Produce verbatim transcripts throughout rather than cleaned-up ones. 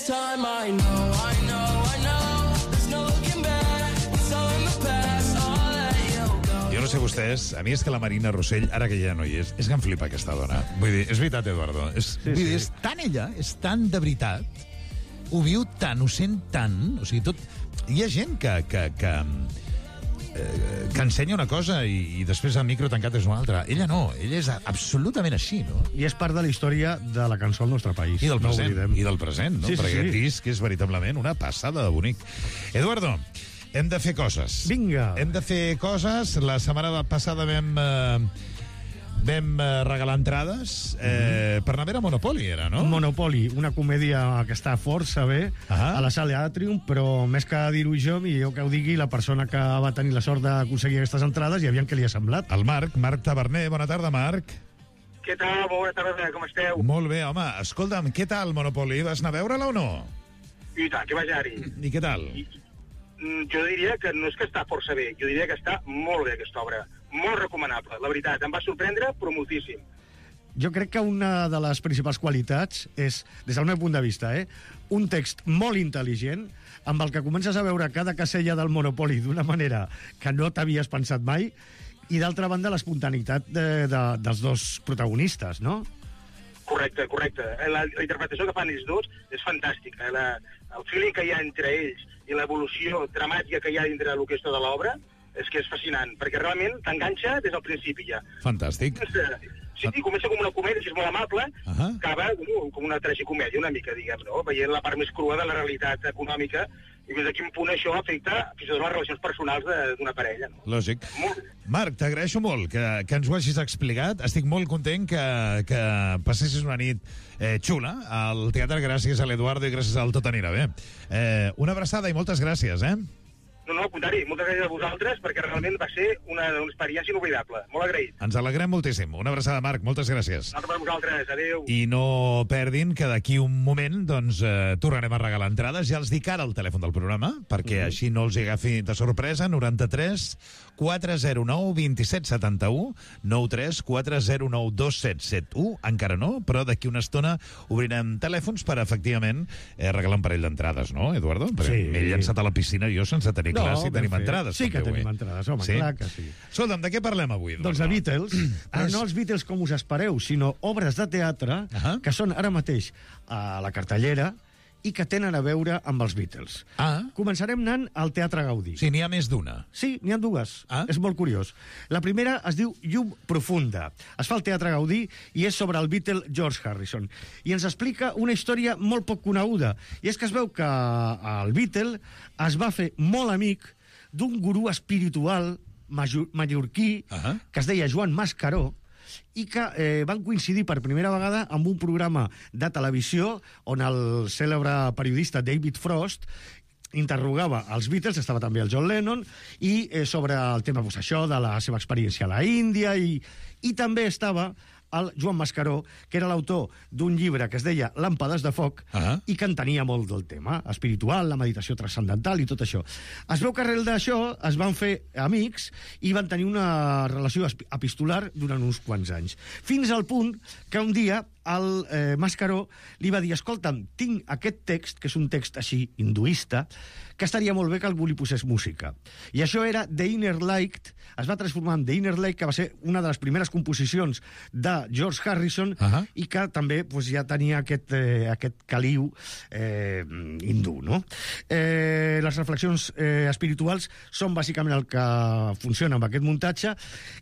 time I know, I know, I know, there's no looking back, it's all in the past, I'll let you go. Jo no sé vostès, a mi és que la Marina Rossell, ara que ja no hi és, és que em flipa aquesta dona. Vull dir, és veritat, Eduardo. És, Sí, vull dir, sí. és tan ella, és tan de veritat, ho viu tant, ho sent tant, o sigui, tot... Hi ha gent que... que, que eh, que ensenya una cosa i, i després el micro tancat és una altra. Ella no, ella és absolutament així, no? I és part de la història de la cançó al nostre país. I del no present, oblidem. i del present, no? Sí, sí, Perquè sí. aquest disc és veritablement una passada de bonic. Eduardo, hem de fer coses. Vinga. Hem de fer coses. La setmana passada vam... Eh, vam eh, regalar entrades eh, per anar a veure Monopoly, era, no? Monopoly, una comèdia que està força bé Ah. a la sala Atrium, però més que dir-ho jo, millor que ho digui la persona que va tenir la sort d'aconseguir aquestes entrades i aviam què li ha semblat. El Marc, Marc Taverner. Bona tarda, Marc. Què tal? Molt bona tarda, com esteu? Molt bé, home. Escolta'm, què tal Monopoly? Vas anar a veure-la o no? I tant, que vaig anar-hi. I què tal? Mm, Jo diria que no és que està força bé, jo diria que està molt bé, aquesta obra. Molt recomanable, la veritat. Em va sorprendre, però moltíssim. Jo crec que una de les principals qualitats és, des del meu punt de vista, eh, un text molt intel·ligent, amb el que comences a veure cada casella del Monopoly d'una manera que no t'havies pensat mai, i d'altra banda l'espontaneïtat de, de, dels dos protagonistes, no? Correcte, correcte. La, la interpretació que fan ells dos és fantàstica. La, el feeling que hi ha entre ells i l'evolució dramàtica que hi ha dintre el que és tota l'obra és que és fascinant, perquè realment t'enganxa des del principi ja. Fantàstic. Sí, comença com una comèdia, si és molt amable, Ahà. acaba com, com una tragicomèdia, una mica, diguem, no? Veient la part més crua de la realitat econòmica i fins a quin punt això afecta fins i tot les relacions personals de- d'una parella, no? Lògic. Molt bé. Marc, t'agraeixo molt que, que ens ho hagis explicat. Estic molt content que, que passessis una nit eh, xula al teatre gràcies a l'Eduardo i gràcies al Tot anirà bé. Eh, una abraçada i moltes gràcies, eh? No, no, al contrari, moltes gràcies a vosaltres perquè realment va ser una, una experiència inoblidable. Molt agraït. Ens alegrem moltíssim. Una abraçada, Marc. Moltes gràcies. Nosaltres per vosaltres. Adéu. I no perdin que d'aquí un moment doncs, eh, tornarem a regalar entrades. Ja els dic ara el telèfon del programa, perquè mm. així no els hi agafi de sorpresa. noranta-tres quatre zero nou dos set set u, nou tres quatre zero nou dos set set u. Encara no, però d'aquí una estona obrirem telèfons per, efectivament, eh, regalar un parell d'entrades, no, Eduardo? Perquè Sí. m'he llançat a la piscina jo sense tenir No, clar si ben tenim fet. entrades. Sí que també tenim avui. entrades, home, clar que sí. Escolta'm, de què parlem avui? Doncs de Beatles, però no els Beatles com us espereu, sinó obres de teatre Ahà. que són ara mateix a la cartellera i que tenen a veure amb els Beatles. Ah, Començarem anant al Teatre Gaudí. sí, n'hi ha més d'una. Sí, n'hi ha dues. Ah. És molt curiós. La primera es diu Llum Profunda. Es fa al Teatre Gaudí i és sobre el Beatle George Harrison. I ens explica una història molt poc coneguda. I és que es veu que el Beatle es va fer molt amic d'un gurú espiritual major, mallorquí Ah. que es deia Joan Mascaró i que eh, van coincidir per primera vegada amb un programa de televisió on el cèlebre periodista David Frost interrogava els Beatles, estava també el John Lennon, i eh, sobre el tema, pues, això, de la seva experiència a la Índia, i, i també estava el Joan Mascaró, que era l'autor d'un llibre que es deia Làmpades de foc, Ah. i que entenia molt del tema espiritual, la meditació transcendental i tot això. Es veu que arrel d'això es van fer amics i van tenir una relació esp- epistolar durant uns quants anys. Fins al punt que un dia el eh, Mascaró li va dir: escolta'm, tinc aquest text, que és un text així hinduista, que estaria molt bé que algú li posés música. I això era The Inner Light, es va transformar en The Inner Light, que va ser una de les primeres composicions de George Harrison, Ahà. i que també pues, ja tenia aquest, eh, aquest caliu eh, hindú, no? Eh, les reflexions eh, espirituals són bàsicament el que funciona amb aquest muntatge,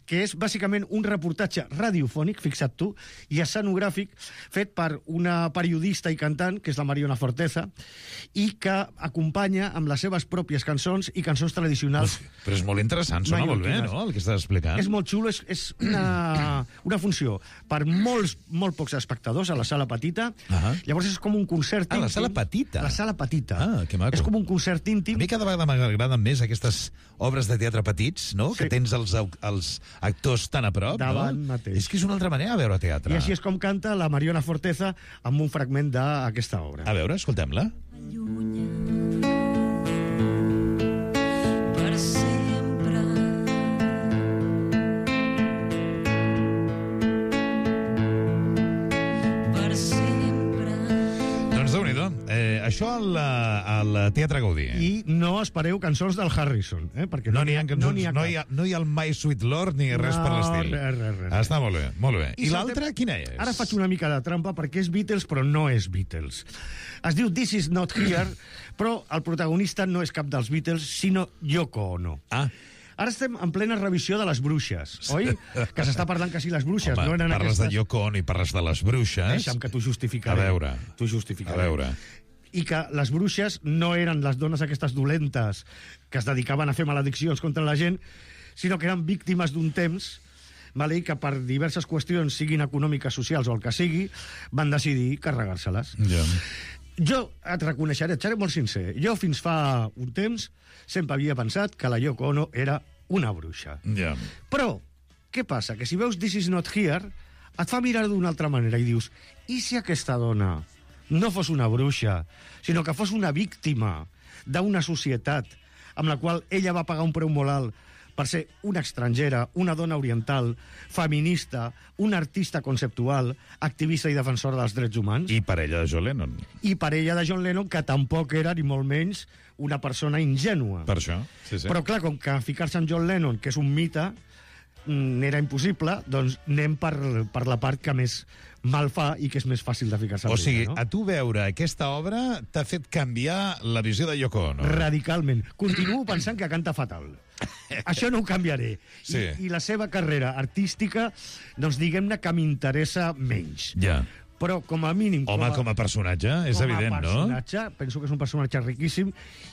que és bàsicament un reportatge radiofònic, fixa't tu, i escenogràfic, fet per una periodista i cantant, que és la Mariona Forteza, i que acompanya amb les seves pròpies cançons i cançons tradicionals. Uf, però és molt interessant, sona molt bé, mallorquines. no?, el que estàs explicant. És molt xulo, és, és una, una funció per molts, molt pocs espectadors a la sala petita. Ahà. Llavors és com un concert Ah, la íntim. sala petita. La sala petita. Ah, que maco. És com un concert íntim. A mi cada vegada m'agraden més aquestes obres de teatre petits, no?, Sí. que tens els, au- els actors tan a prop, Davant no? mateix. És que és una altra manera de veure teatre. I així és com canta la Mariona Forteza amb un fragment d'aquesta obra. A veure, escoltem-la. Per sempre. Per sempre. Doncs Déu-n'hi-do. Eh, això al, al Teatre Gaudí. I no espereu cançons del Harrison, eh? Perquè No n'hi ha cançons, no n'hi ha, no hi ha, no hi ha el My Sweet Lord ni res per l'estil. res, res, res. Està molt bé, molt bé. I, I l'altra, quina és? Ara faig una mica de trampa perquè és Beatles, però no és Beatles. Es diu This Is Not Here, però el protagonista no és cap dels Beatles, sinó Yoko Ono. Ah, Ara estem en plena revisió de les bruixes, oi? Que s'està parlant que si les bruixes home, no eren parles aquestes... de Yoko Ono i parles de les bruixes. Deixa'm que t'ho justificaré. A veure. T'ho justificaré. A veure. I que les bruixes no eren les dones aquestes dolentes que es dedicaven a fer malediccions contra la gent, sinó que eren víctimes d'un temps, vale? I que per diverses qüestions, siguin econòmiques, socials o el que sigui, van decidir carregar-se-les. Ja. Jo et reconeixeré, et seré molt sincer, jo fins fa un temps sempre havia pensat que la Yoko Ono era una bruixa. Ja. Però, què passa? Que si veus This Is Not Here, et fa mirar d'una altra manera i dius, i si aquesta dona no fos una bruixa, sinó que fos una víctima d'una societat amb la qual ella va pagar un preu molt alt per ser una estrangera, una dona oriental, feminista, una artista conceptual, activista i defensora dels drets humans. I parella de John Lennon. I parella de John Lennon, que tampoc era, ni molt menys, una persona ingènua. Per això, sí, sí. Però, clar, com que ficar-se en John Lennon, que és un mite, mm, era impossible, doncs anem per, per la part que més mal fa i que és més fàcil de ficar-se O en sigui, ella, no? a tu veure aquesta obra t'ha fet canviar la visió de Yoko Ono. Radicalment. Continuo pensant que canta fatal. Això no ho canviaré. Sí. I, I la seva carrera artística, doncs diguem-ne que m'interessa menys. Ja. Però com a mínim... Home, com a personatge, és com evident, a no? personatge, penso que és un personatge riquíssim,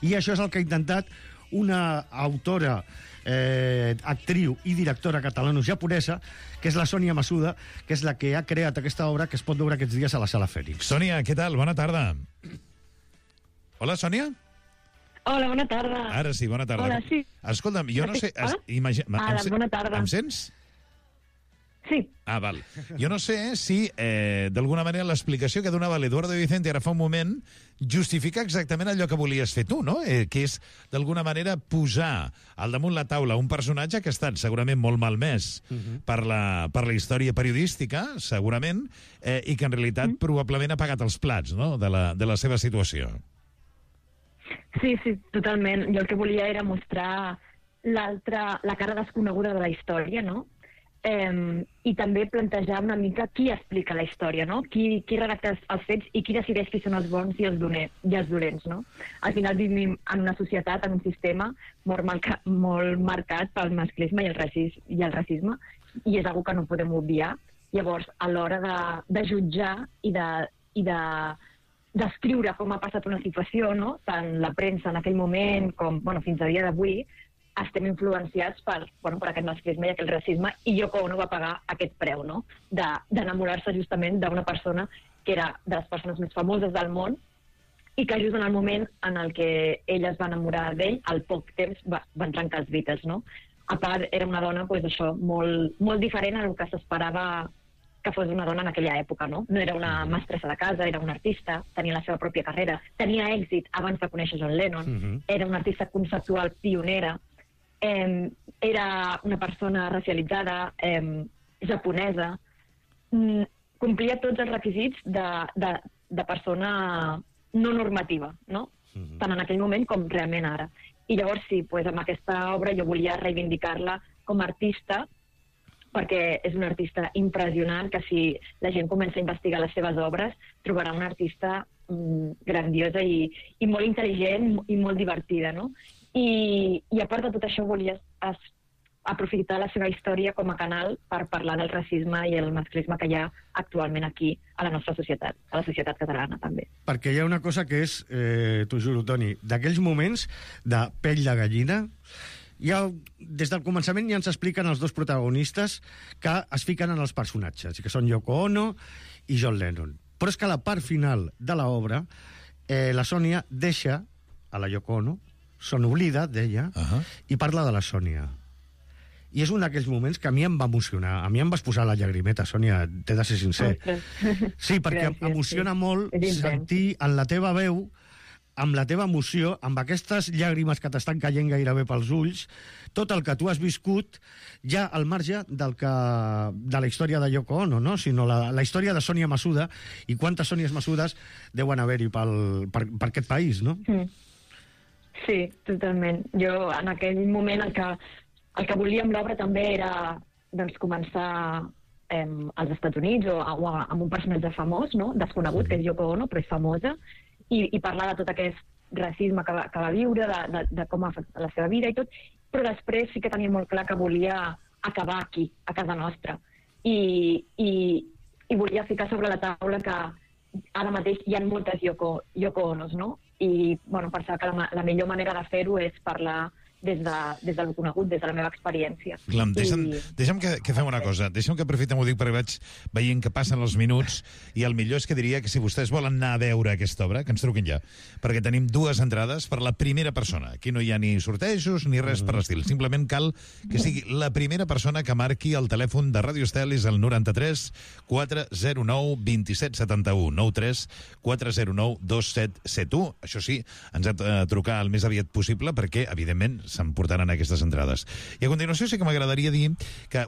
i això és el que ha intentat una autora, eh, actriu i directora catalano-japonesa, que és la Sònia Masuda, que és la que ha creat aquesta obra que es pot veure aquests dies a la Sala Fènix. Sònia, què tal? Bona tarda. Hola, Sònia? Hola, bona tarda. Ara sí, bona tarda. Hola, sí. Escolta'm, jo no sé... Es, Hola? imagi... Ara, em se- bona tarda. Em sents? Sí, Ah, val. Jo no sé si, eh, d'alguna manera, l'explicació que donava l'Eduardo Vicente ara fa un moment justifica exactament allò que volies fer tu, no? Eh, que és, d'alguna manera, posar al damunt la taula un personatge que ha estat segurament molt malmès uh -huh. per, la, per la història periodística, segurament, eh, i que en realitat uh -huh. probablement ha pagat els plats, no?, de la, de la seva situació. sí, sí, totalment. Jo el que volia era mostrar l'altra, la cara desconeguda de la història, no? Eh, I també plantejar una mica qui explica la història, no? Qui, qui redacta els, els fets i qui decideix qui són els bons i els, doner, i els dolents, no? Al final vivim en una societat, en un sistema molt, marca, molt marcat pel masclisme i el, racis, i el racisme, i és una que no podem obviar. Llavors, a l'hora de, de jutjar i de, i de descriure com ha passat una situació, no? Tant la premsa en aquell moment com bueno, fins a dia d'avui, estem influenciats per, bueno, per aquest masclisme i aquest racisme, i Yoko Ono va pagar aquest preu, no? d'enamorar-se justament d'una persona que era de les persones més famoses del món i que just en el moment en el que ella es va enamorar d'ell, al poc temps va, van trencar els Beatles, no? A part, era una dona pues, això, molt, molt diferent a el que s'esperava que fos una dona en aquella època, no? No era una mestressa de casa, era una artista, tenia la seva pròpia carrera, tenia èxit abans de conèixer John Lennon, Mhm. era una artista conceptual pionera, eh, era una persona racialitzada, eh, japonesa, mm, complia tots els requisits de, de, de persona no normativa, no? Mhm. Tant en aquell moment com realment ara. I llavors sí, pues, amb aquesta obra jo volia reivindicar-la com a artista, perquè és una artista impressionant, que si la gent comença a investigar les seves obres, trobarà una artista mm, grandiosa i, i molt intel·ligent i molt divertida, no? I, i a part de tot això volia es, aprofitar la seva història com a canal per parlar del racisme i el masclisme que hi ha actualment aquí a la nostra societat, a la societat catalana també. Perquè hi ha una cosa que és, eh, t'ho juro, Toni, d'aquells moments de pell de gallina, ja, des del començament ja ens expliquen els dos protagonistes que es fiquen en els personatges, i que són Yoko Ono i John Lennon. Però és que a la part final de l'obra, eh, la Sònia deixa a la Yoko Ono, se n'oblida d'ella, Uh -huh. i parla de la Sònia. I és un d'aquells moments que a mi em va emocionar. A mi em vas posar la llagrimeta, Sònia, t'he de ser sincer. Ostres. Sí, perquè Gràcies, emociona sí. molt És intens. sentir en la teva veu amb la teva emoció, amb aquestes llàgrimes que t'estan caient gairebé pels ulls, tot el que tu has viscut, ja al marge del que, de la història de Yoko Ono, no? Sinó la, la història de Sònia Masuda, i quantes Sònies Masudes deuen haver-hi pel, per, per aquest país, no? Mm. Sí, totalment. Jo, en aquell moment, el que, el que volia amb l'obra també era doncs, començar eh, als Estats Units o, o amb un personatge famós, no? Desconegut, que és Yoko Ono, però és famosa, i, i parlar de tot aquest racisme que va, que va viure, de, de, de com ha afectat la seva vida i tot, però després sí que tenia molt clar que volia acabar aquí, a casa nostra. I, i, i volia ficar sobre la taula que ara mateix hi ha moltes Yoko, Yoko Onos, no? I bueno, pensava que la, la millor manera de fer-ho és parlar des de, des del conegut, des de la meva experiència. Clar, deixa'm, I... deixa'm que, que fem una cosa. Deixa'm que aprofitem, ho dic perquè vaig veient que passen els minuts, i el millor és que diria que si vostès volen anar a veure aquesta obra, que ens truquin ja, perquè tenim dues entrades per la primera persona. Aquí no hi ha ni sortejos ni res per l'estil. Simplement cal que sigui la primera persona que marqui el telèfon de Ràdio Estel, és el noranta-tres quatre zero nou dos set set u, noranta-tres quatre zero nou dos set set u. Això sí, ens ha de trucar el més aviat possible perquè, evidentment, s'emportaran aquestes entrades. I a continuació sí que m'agradaria dir que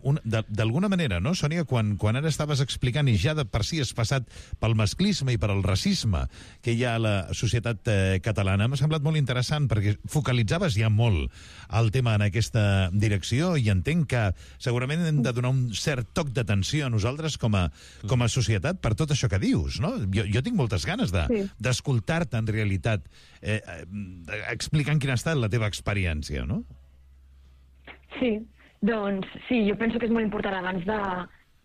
d'alguna manera, no, Sònia, quan, quan ara estaves explicant i ja de per si has passat pel masclisme i per el racisme que hi ha a la societat eh, catalana, m'ha semblat molt interessant perquè focalitzaves ja molt el tema en aquesta direcció, i entenc que segurament hem de donar un cert toc d'atenció a nosaltres com a, com a societat per tot això que dius, no? Jo, jo tinc moltes ganes de, Sí. d'escoltar-te en realitat eh, eh, explicant quina ha estat la teva experiència, no? Sí, doncs sí, jo penso que és molt important abans de,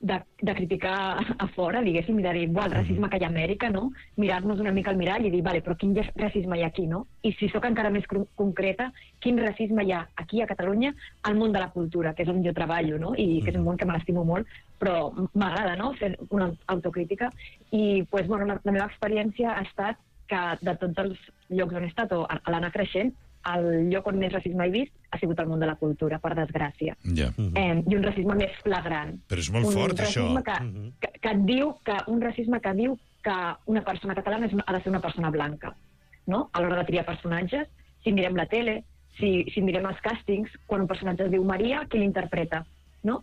de, de criticar a fora, diguéssim, i de dir, buah, el racisme que hi ha a Amèrica, no? Mirar-nos una mica al mirall i dir, vale, però quin racisme hi ha aquí, no? I si sóc encara més concreta, quin racisme hi ha aquí a Catalunya al món de la cultura, que és on jo treballo, no? I que és un món que me l'estimo molt, però m'agrada, no?, fer una autocrítica. I, pues, bueno, la, la meva experiència ha estat que de tots els llocs on he estat, o a l'anar creixent, el lloc on més racisme he vist ha sigut el món de la cultura, per desgràcia. Ja. Eh, I un racisme més flagrant. Però és molt un fort, això. Que, que, que et diu que, un racisme que diu que una persona catalana és una, ha de ser una persona blanca, no? A l'hora de triar personatges, si mirem la tele, si, si mirem els càstings, quan un personatge es diu Maria, qui l'interpreta, no?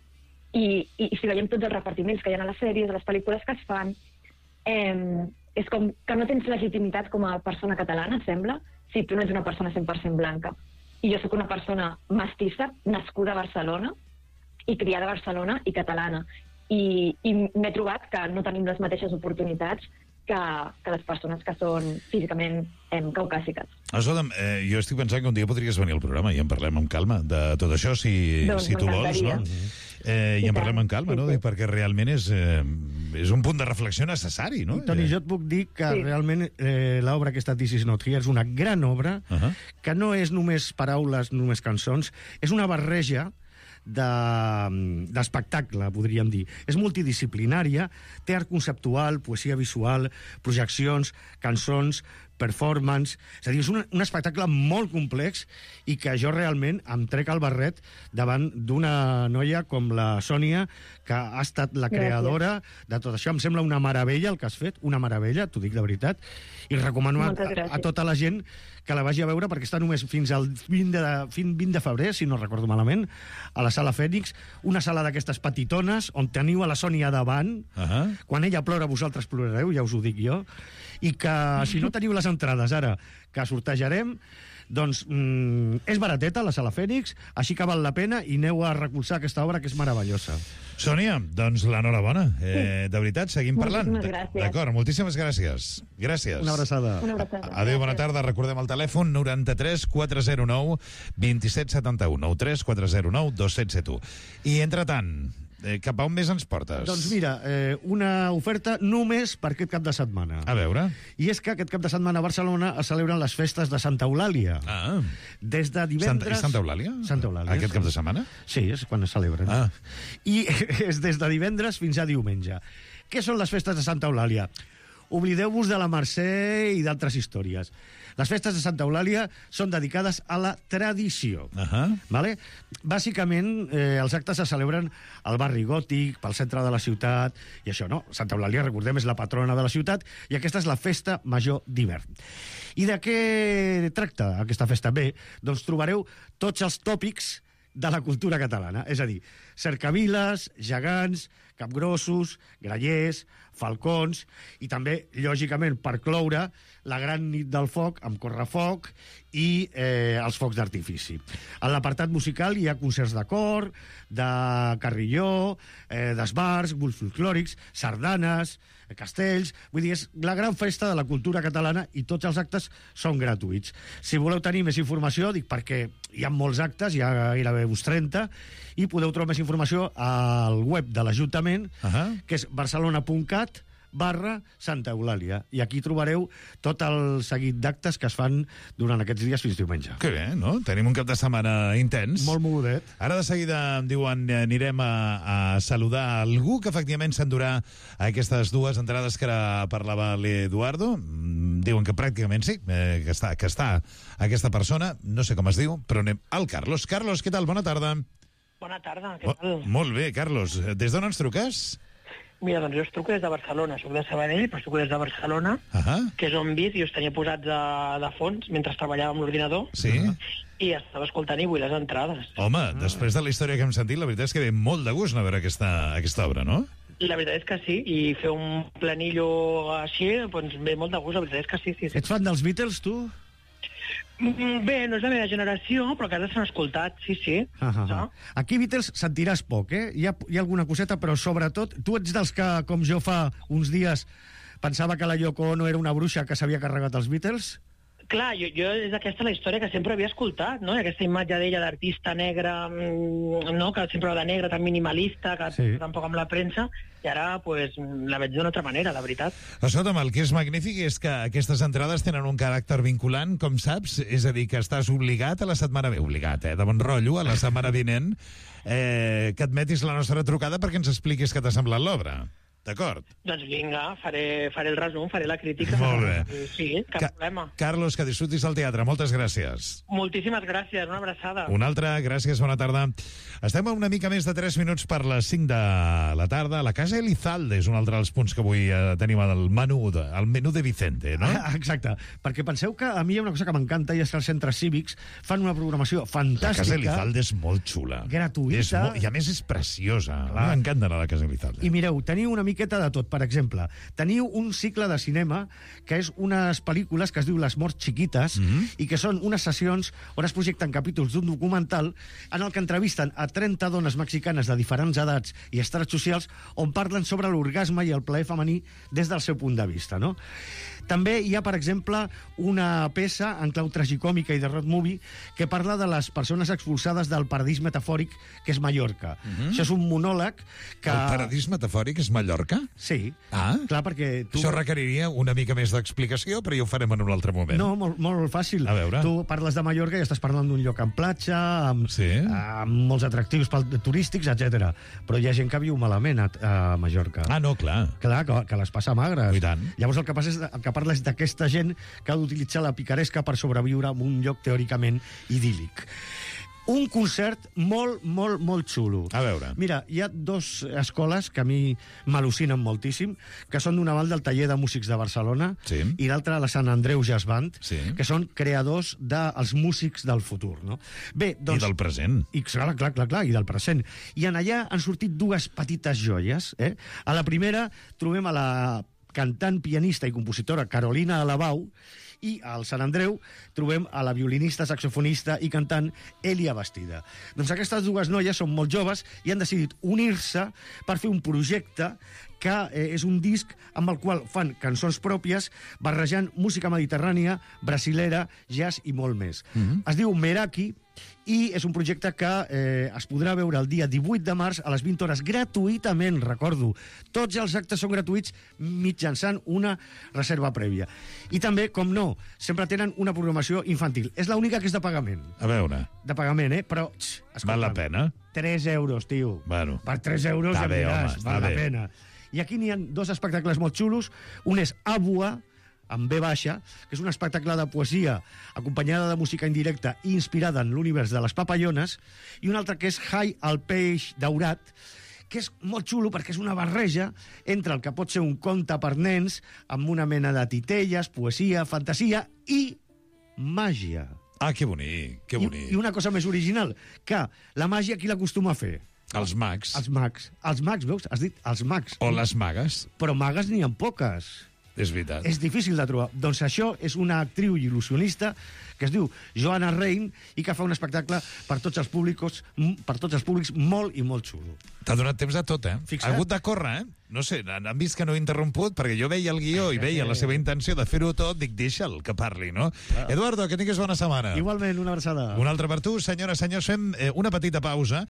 I, i, I si veiem tots els repartiments que hi ha a les sèries, a les pel·lícules que es fan, eh, és com que no tens legitimitat com a persona catalana, sembla, si tu no ets una persona cent per cent blanca. I jo sóc una persona mestissa, nascuda a Barcelona, i criada a Barcelona i catalana. I, i m'he trobat que no tenim les mateixes oportunitats que, que les persones que són físicament eh, caucàsiques. Escolta'm, eh, jo estic pensant que un dia podries venir al programa i en parlem amb calma de tot això, si, Doncs si tu vols, no? m'encantaria. Eh, I I en tant, parlem amb calma, sí, no? sí. Perquè realment és, eh, és un punt de reflexió necessari, no? I, Toni, Eh, jo et puc dir que Sí. realment eh, l'obra aquesta This Is Not Here és una gran obra, Uh -huh. que no és només paraules, només cançons, és una barreja de- d'espectacle, podríem dir. És multidisciplinària, té art conceptual, poesia visual, projeccions, cançons, performance... És a dir, és un, un espectacle molt complex i que jo realment em trec el barret davant d'una noia com la Sònia, que ha estat la Gràcies. creadora de tot això. Em sembla una meravella el que has fet, una meravella, t'ho dic de veritat, i recomano a, Moltes a, gràcies. a tota la gent que la vagi a veure, perquè està només fins al vint de, fin- vint de febrer, si no recordo malament, a la Sala Fènix, una sala d'aquestes petitones, on teniu a la Sònia davant. Uh -huh. Quan ella plora, vosaltres plorareu, ja us ho dic jo. I que, si no teniu les entrades ara, que sortejarem, doncs mm, és barateta, la Sala Fènix, així que val la pena, i aneu a recolzar aquesta obra, que és meravellosa. Sònia, doncs l'enhorabona. Eh, de veritat, seguim parlant. Moltíssimes gràcies. D'acord, moltíssimes gràcies. Gràcies. Una abraçada. Una abraçada. Adéu, bona tarda. Recordem el telèfon noranta-tres quatre zero nou dos set set u, noranta-tres quatre zero nou dos set set u. I, entretant, eh, cap a on més ens portes? Doncs mira, eh, una oferta només per aquest cap de setmana. A veure. I és que aquest cap de setmana a Barcelona es celebren les festes de Santa Eulàlia. Ah. Des de Santa, divendres... és Santa Eulàlia? Santa Eulàlia. Aquest cap de setmana? Sí, és quan es celebren. Ah. I és des de divendres fins a diumenge. Què són les festes de Santa Eulàlia? oblideu-vos de la Mercè i d'altres històries. Les festes de Santa Eulàlia són dedicades a la tradició. Uh -huh. Vale? Bàsicament, eh, els actes se celebren al barri gòtic, pel centre de la ciutat, i això, no? Santa Eulàlia, recordem, és la patrona de la ciutat, i aquesta és la festa major d'hivern. I de què tracta aquesta festa? Bé, doncs trobareu tots els tòpics de la cultura catalana, és a dir, cercaviles, gegants, capgrossos, grallers, falcons, i també, lògicament, per cloure, la gran nit del foc amb correfoc i eh, els focs d'artifici. En l'apartat musical hi ha concerts de cor, de carrilló, eh, d'esbars, grups folclòrics, sardanes, castells... Vull dir, és la gran festa de la cultura catalana i tots els actes són gratuïts. Si voleu tenir més informació, dic perquè hi ha molts actes, hi ha gairebé uns trenta, i podeu trobar més informació al web de l'Ajuntament, uh -huh. que és barcelona punt cat barra Santa Eulàlia. I aquí trobareu tot el seguit d'actes que es fan durant aquests dies fins diumenge. Que bé, no? Tenim un cap de setmana intens. Molt mogudet. Ara de seguida em diuen anirem a, a saludar algú que efectivament s'endurà aquestes dues entrades que ara parlava l'Eduardo. Mm, Diuen que pràcticament sí, eh, que, està, que està aquesta persona. No sé com es diu, però anem al Carlos. Carlos, què tal? Bona tarda. Bona tarda, què Oh, tal? molt bé, Carlos. Des d'on ens truques? Mira, doncs jo us truco des de Barcelona, soc de Sabadell, però truco des de Barcelona, Uh -huh. que és on visc i us tenia posats de, de fons mentre treballava amb l'ordinador, Sí? i estava escoltant i vull les entrades. Home, ah. després de la història que hem sentit, la veritat és que ve molt de gust anar a veure aquesta, aquesta obra, no? La veritat és que sí, i fer un planillo així, doncs ve molt de gust, la veritat és que sí, sí. sí. Ets fan dels Beatles, tu? Mm, Bé, no és la meva generació, però que ara s'han escoltat, sí, sí. Ah, ah, ah. No? Aquí Beatles sentiràs poc, eh? Hi ha, hi ha alguna coseta, però sobretot... Tu ets dels que, com jo fa uns dies, pensava que la Yoko Ono era una bruixa que s'havia carregat els Beatles? Clar, jo, jo és aquesta la història que sempre havia escoltat, no? I aquesta imatge d'ella d'artista negra, mm, no? Que sempre va de negra, tan minimalista, que Sí. tampoc amb la premsa, i ara pues, la veig d'una altra manera, la veritat. Escolta'm, el que és magnífic és que aquestes entrades tenen un caràcter vinculant, com saps, és a dir, que estàs obligat a la setmana... Obligat, eh? De bon rotllo, a la setmana vinent, eh, que admetis la nostra trucada perquè ens expliquis què t'ha semblat l'obra. D'acord? Doncs vinga, faré, faré el resum, faré la crítica. Molt bé. Sí, cap Ca problema. Carlos, que disfrutis del teatre. Moltes gràcies. Moltíssimes gràcies, una abraçada. Una altra, gràcies, bona tarda. Estem a una mica més de tres minuts per les cinc de la tarda. La Casa Elizalde és un altre dels punts que avui eh, tenim al menú, de, al menú de Vicente, no? Ah, exacte, perquè penseu que a mi hi ha una cosa que m'encanta i és que els centres cívics fan una programació La fantàstica. Casa Elizalde és molt xula. Gratuïta. És molt, I a més és preciosa. M'encanta anar a la Casa Elizalde. I mireu, teniu una miqueta de tot. Per exemple, teniu un cicle de cinema que és unes pel·lícules que es diu Les morts xiquites Mhm. i que són unes sessions on es projecten capítols d'un documental en el que entrevisten a trenta dones mexicanes de diferents edats i estrats socials on parlen sobre l'orgasme i el plaer femení des del seu punt de vista, no? També hi ha, per exemple, una peça en clau tragicòmica i de road movie que parla de les persones expulsades del paradís metafòric que és Mallorca. Mhm. Això és un monòleg que... El paradís metafòric és Mallorca? Sí. Ah. Clar, perquè tu... Això requeriria una mica més d'explicació, però ja ho farem en un altre moment. No, molt, molt fàcil. A veure. Tu parles de Mallorca i estàs parlant d'un lloc amb platja, amb, Sí. amb molts atractius pel- turístics, etcètera. Però hi ha gent que viu malament a, a Mallorca. Ah, no, clar. Clar, que, que les passa magres. I tant. Llavors el que passa és el que parla és d'aquesta gent que ha d'utilitzar la picaresca per sobreviure en un lloc teòricament idíl·lic. Un concert molt, molt, molt xulo. A veure. Mira, hi ha dos escoles que a mi m'al·lucinen moltíssim, que són d'una banda el Taller de Músics de Barcelona Sí. i l'altra la Sant Andreu Jazz Band, Sí. que són creadors dels músics del futur. No? Bé, doncs... I del present. I, clar, clar, clar, clar, i del present. I en allà han sortit dues petites joies. Eh? A la primera trobem a la cantant, pianista i compositora Carolina Alabau, i al Sant Andreu trobem a la violinista, saxofonista i cantant Elia Bastida. Doncs aquestes dues noies són molt joves i han decidit unir-se per fer un projecte que eh, és un disc amb el qual fan cançons pròpies barrejant música mediterrània, brasilera, jazz i molt més. Mhm. Es diu Meraki i és un projecte que eh, es podrà veure el dia divuit de març a les vint hores gratuïtament, recordo. Tots els actes són gratuïts mitjançant una reserva prèvia. I també, com no, sempre tenen una programació infantil. És l'única que és de pagament. A veure, De pagament, eh? Però, tx, escolta'm, val la pena? tres euros, tio. Bueno. Per tres euros Està ja bé, em diràs, home, està val la bé. pena. I aquí n'hi ha dos espectacles molt xulos. Un és Abua, amb B baixa, que és un espectacle de poesia acompanyada de música indirecta i inspirada en l'univers de les papallones, i un altre que és Hai al peix daurat, que és molt xulo perquè és una barreja entre el que pot ser un conte per nens amb una mena de titelles, poesia, fantasia i màgia. Ah, que bonic, que bonic. I, I una cosa més original, que la màgia qui l'acostuma a fer? Els mags. Els mags. Els mags, veus? Has dit els mags. O les magues. Però magues n'hi ha poques. És veritat. És difícil de trobar. Doncs això és una actriu il·lusionista que es diu Joanna Rein i que fa un espectacle per tots els públics, per tots els públics molt i molt xulo. T'ha donat temps de tot, eh? Fixa't. Ha hagut de córrer, eh? No sé, han han vist que no he interromput perquè jo veia el guió i veia la seva intenció de fer-ho tot, dic, deixa'l que parli, no? Eduardo, que tinguis bona setmana. Igualment, una abraçada. Una altra per tu, senyores, senyors, fem eh, una petita pausa